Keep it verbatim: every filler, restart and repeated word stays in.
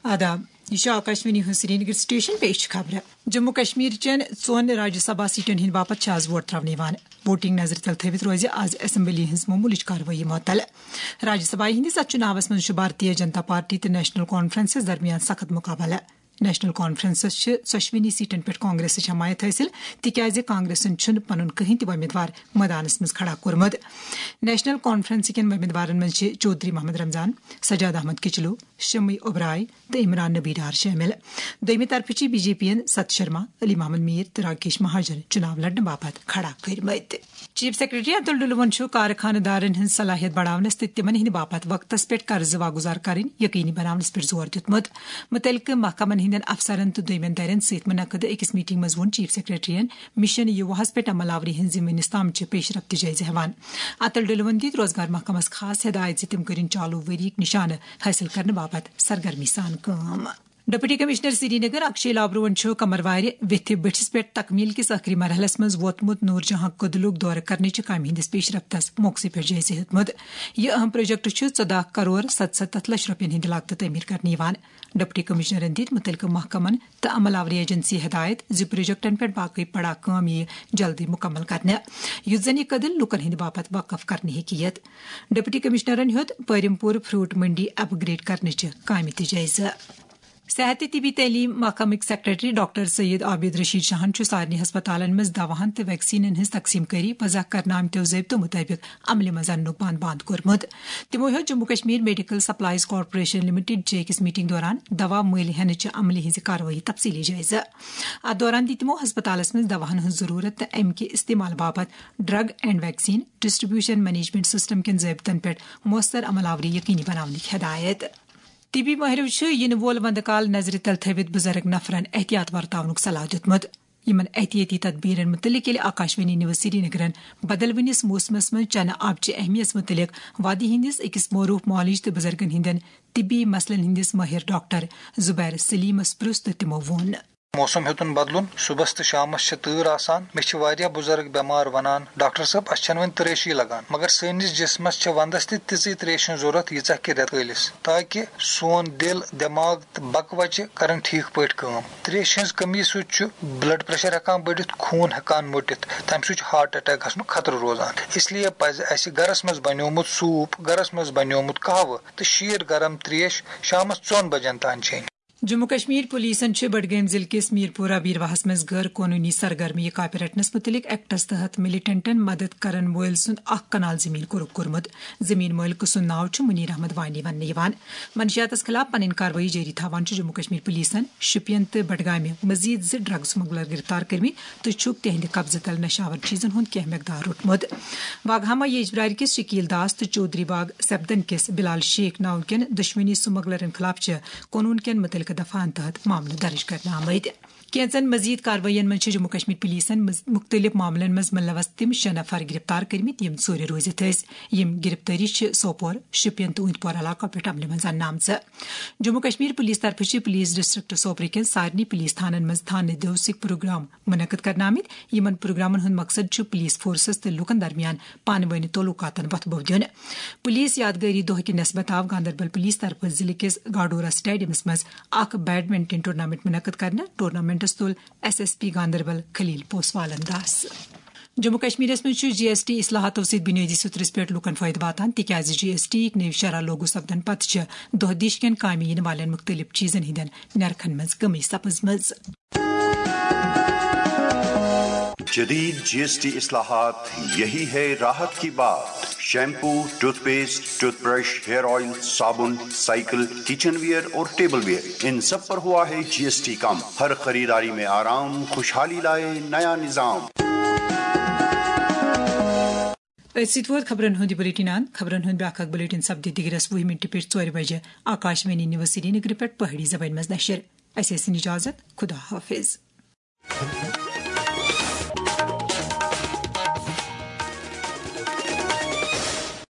آداب، یہِ چھُ آکاشوانی ہُنٛد سرینگر سٹیشن، پیش چھِ خبرٕ۔ جموں کشمیر چٮ۪ن ژۄن راجیہ سبھا سیٹن ہٕنٛدِ باپتھ چھِ آز ووٹ ترٛاونہٕ یِوان۔ ووٹنگ نظرِ تل تھٲوِتھ روزِ آز اسمبلی ہٕنٛز معموٗلٕچ کاروٲیی معطل۔ راجیہ سبھا ہٕنٛدِس اتھ چُناوس منٛز چھُ بھارتیہ جنتا پارٹی تہٕ نیشنل کانفرنسس درمیان سخت مُقابلہٕ۔ نیشنل کانفرنسس چھِ ژۄشوٕنی سیٹن پٮ۪ٹھ کانگریسٕچ حمایت حٲصِل، تِکیازِ کانگریسن چھُنہٕ پنُن کٕہٕنۍ تہِ وۄمیدوار مٲدانس منٛز کھڑا کوٚرمُت۔ نیشنل کانفرنس کٮ۪ن وۄمیدوارن منٛز چھِ چودھری محمد رمضان، سجاد احمد کچلو، شمی اوبرائے تہٕ عمران نبی ڈار شٲمِل۔ دوٚیمہِ طرفہٕ چھِ بی جے پی یَن ست شرما، علی محمد میر تہٕ راکیش مہاجن چُناو لڑنہٕ باپتھ کھڑا کٔرمٕتۍ۔ چیف سیکرٹری اتُل ڈُلوُن چھُ کارخانہٕ دارن ہٕنٛز صلاحیت بڑاونس تہٕ تِمن ہٕنٛدِ باپتھ وقتس پٮ۪ٹھ قرضہٕ واگُزار کرٕنۍ یقینی بناونس پٮ۪ٹھ زور دیُتمُت۔ مُتعلقہٕ محکمن ہٕنٛدٮ۪ن افسرن تہٕ دوٚیمٮ۪ن دَرٮ۪ن سۭتۍ مُنعقد أکِس میٹنگ منٛز ووٚن چیف سیکرٹریَن مشن یوواہس پٮ۪ٹھ عمل آوری ہٕنٛز ذمہٕ نِس تام چہِ پیش رفت جٲیزٕ ہٮ۪وان۔ اتُل ڈُلوُن دِتۍ روزگار محکمس خاص ہدایت زِ تِم کٔرِن چالو ؤریِک نشانہٕ حٲصِل کرنہٕ باپتھ سرگرمی سان کٲم۔ ڈپٹی کمشنر سرینگر اکشے لابروہن چھُ کمروارِ ویتھِ بٔٹھِس پٮ۪ٹھ تکمیل کِس ٲخری مرحلس منٛز ووتمُت نور جہاں کدلُک دورٕ کرنٕچہِ کامہِ ہٕنٛدِس پیش رفتس موقعہٕ پٮ۪ٹھ جٲیزٕ ہیوٚتمُت۔ یہِ اہم پروجیکٹ چھُ ژۄداہ کرور ستستھ لچھ رۄپین ہٕنٛدِ لاگتہٕ تعمیٖر کرنہٕ یِوان۔ ڈپٹی کمشنرن دِتۍ مُتعلقہٕ محکمن تہٕ عمل آوری ایجنسی ہدایت زِ پروجیکٹن پٮ۪ٹھ باقٕے پڑا کٲم یِیہِ جلدی مُکمل کرنہٕ، یُتھ زن یہِ کٔدٕل لوٗکن ہٕنٛدِ باپتھ وقف کرنہٕ ہیٚکہِ یِتھ۔ ڈپٹی کمشنرن ہیوٚت پٲرِم پوٗر فروٹ منڈی اپ گریڈ کرنٕچہِ کامہِ تہِ جٲیزٕ۔ صحت تہٕ طبی تعلیٖم محکمٕکۍ سیکرٹری ڈاکٹر سید عابد رشید شاہن چھُ سارنٕے ہسپتالن منٛز دواہن تہٕ ویکسینن ہٕنٛز تقسیٖم کٲری وضع کرنہٕ آمتیو ضٲبطو مُطٲبِق عملہِ منٛز اننُک بند بند کوٚرمُت۔ تِمو ہیوٚت Jammu Kashmir medical supplies corporation limited چہِ أکِس میٹنگ دوران دوا مٔلۍ ہٮ۪نہٕ چہِ عملہِ ہٕنٛزِ کاروٲیی تفصیٖلی جٲیزٕ۔ اتھ دوران دِتۍ تِمو ہسپتالس منٛز دواہن ہٕنٛز ضروٗرت تہٕ امہِ کہِ استعمال باپتھ drug and vaccine distribution management system کٮ۪ن ضٲبطن پٮ۪ٹھ مؤثر عمل آوری یقینی بناونٕکۍ ہدایت۔ طبی مٲہرو چھِ یِنہٕ وول وندٕ کال نظرِ تل تھٲوِتھ بُزرگ نفرن احتیاط ورتاونُک صلاح دیُتمُت۔ یِمن احتیاطی تدبیرن مُتعلق ییٚلہِ آکاشوانی نیوز سرینگرن بدلوٕنِس موسمس منٛز چنہٕ آبہٕ چہِ اہمیت مُتعلق وادی ہٕنٛدِس أکِس معروف معالج تہٕ بُزرگن ہٕنٛدٮ۪ن طبی مسلن ہٕنٛدِس مٲہِر ڈاکٹر زبیر سلیمس پرُژھ تہٕ تِمو ووٚن۔ موسم ہیوٚتُن بدلُن، صُبحس تہٕ شامس چھِ تۭر آسان۔ مےٚ چھِ واریاہ بُزرگ بٮ۪مار ونان، "ڈاکٹر صٲب، اسہِ چھنہٕ وۄنۍ ترٛیشی لگان، مگر سٲنِس جسمس چھِ ونٛدس تہِ تِژٕے ترٛیش ہٕنٛز ضروٗرت، ییٖژاہ کہِ رٮ۪تہٕ کٲلِس، تاکہِ سون دِل، دٮ۪ماغ تہٕ بکوچہِ کرن ٹھیٖک پٲٹھۍ کٲم۔ ترٛیشہِ ہٕنٛز کٔمی سۭتۍ چھُ بلڈ پریشر ہٮ۪کان بٔڑِتھ، خوٗن ہٮ۪کان مٔٹِتھ، تمہِ سۭتۍ چھُ ہارٹ اٹیک گژھنُک خطرٕ روزان۔ اس لیے پزِ اسہِ گرس منٛز بنیومُت سوٗپ، گرس منٛز بنیومُت قہوٕ تہٕ شیٖر گرم ترٛیش شامس ژۄن بجن تام چیٚنۍ۔" جموں کشمیر پولیسن چھِ بڈگام ضلعہٕ کِس میرپورہ بیرواہس منٛز غٲر قونوٗنی سرگرمی کاپہِ رٹنس مُتعلق ایکٹس تحت ملیٹنٹن مدد کرن وٲلۍ سُنٛد اکھ کنال زٔمیٖن قرق کوٚرمُت۔ زٔمیٖن مٲلکہٕ سُنٛد ناو چھُ منیر احمد وانی وننہٕ یِوان۔ منشیاتس خلاف پنٕنۍ کاروٲیی جٲری تھاوان چھُ جموں کشمیر پولیسن شُپین تہٕ بڈگامہِ مزید زٕ ڈرگ سمگلر گرفتار کٔرمٕتۍ تہٕ چھُکھ تِہنٛدِ قبضہٕ تل نشہٕ آور چیٖزن ہُنٛد کینٛہہ مقدار روٚٹمُت۔ واگہاما ییجبرارِ کِس شکیل داس تہٕ چودھری باغ سبدن کِس بلال شیخ ناو کٮ۪ن دۄشوٕنی سمگلرن خلاف چھِ قونوٗن کٮ۪ن مُتعلقہٕ دفعن تحت معاملہٕ درج کرنہٕ آمٕتۍ۔ کینٛژن مزید کاروٲیین منٛز چھِ جموں کشمیر پولیسن منٛز مُختٔلِف معاملن منٛز ملوث تِم شےٚ نفر گرفتار کٔرمٕتۍ، یِم ژوٗرِ روٗزِتھ ٲسۍ۔ یِم گرفتٲری چھِ سوپور، شُپین تہٕ اوٗنتۍ پورہ علاقو پٮ۪ٹھ عملہِ منٛز اننہٕ آمژٕ۔ جموں کشمیر پولیس طرفہٕ چھِ پولیس ڈسٹرکٹ سوپرٕ کٮ۪ن سارنٕے پولیس تھانن منٛز تھانہٕ دیوسٕکۍ پروگرام منعقد کرنہٕ آمٕتۍ۔ یِمن پروگرامن ہُنٛد مقصد چھُ پولیس فورسس تہٕ لوٗکن درمیان پانہٕ وٲنۍ تعلقاتن وۄتھٕ بوٚو دیُن۔ پولیس یادگٲری دۄہ کہِ نسبت آو گاندربل پولیس طرفہٕ ضلعہٕ کِس گاڈورہ سٹیڈیمس منٛز اکھ بیڈمنٹن ٹورنامنٹ منعقد کرنہٕ۔ ٹورنامنٹس تُل ایس ایس پی گاندربل خلیل پوسوالن داس۔ جموں کشمیرس منٛز چھُ جی ایس ٹی اصلاحاتو سۭتۍ بنیٲدی سطرس پٮ۪ٹھ لوٗکن فٲیدٕ واتان، تِکیازِ جی ایس ٹی یِکۍ نٔوۍ شرح لاگو سپدن پتہٕ چھِ دۄہ دِش کٮ۪ن کامہِ یِنہٕ والٮ۪ن مُختٔلِف چیٖزن ہٕنٛدٮ۪ن نرخن منٛز کمی سپٕزمٕژ۔ جدید جی ایس ٹی اصلاحات، یہی ہے راحت کی بات۔ Shampoo, toothpaste, toothbrush, hair oil, صابن، سائیکل، کچن ویئر اور ٹیبل ویئر، ان سب پر ہوا ہے جی ایس ٹی کم۔ ہر خریداری میں آرام، خوشحالی لائے نیا نظام۔ أتھۍ سۭتۍ ووت خبرن ہُنٛد یہِ بلیٹن اند۔ خبرن ہُنٛد بیٛاکھ اکھ بلیٹن سپدِ دِگرس وُہہِ منٹہِ پٮ۪ٹھ ژورِ بجہِ آکاشوانی نیوز سرینگرٕ پٮ۪ٹھ پہٲڑی زبٲنۍ منٛز نشر۔ اسہِ ٲسِن اجازت۔ خدا حافظ۔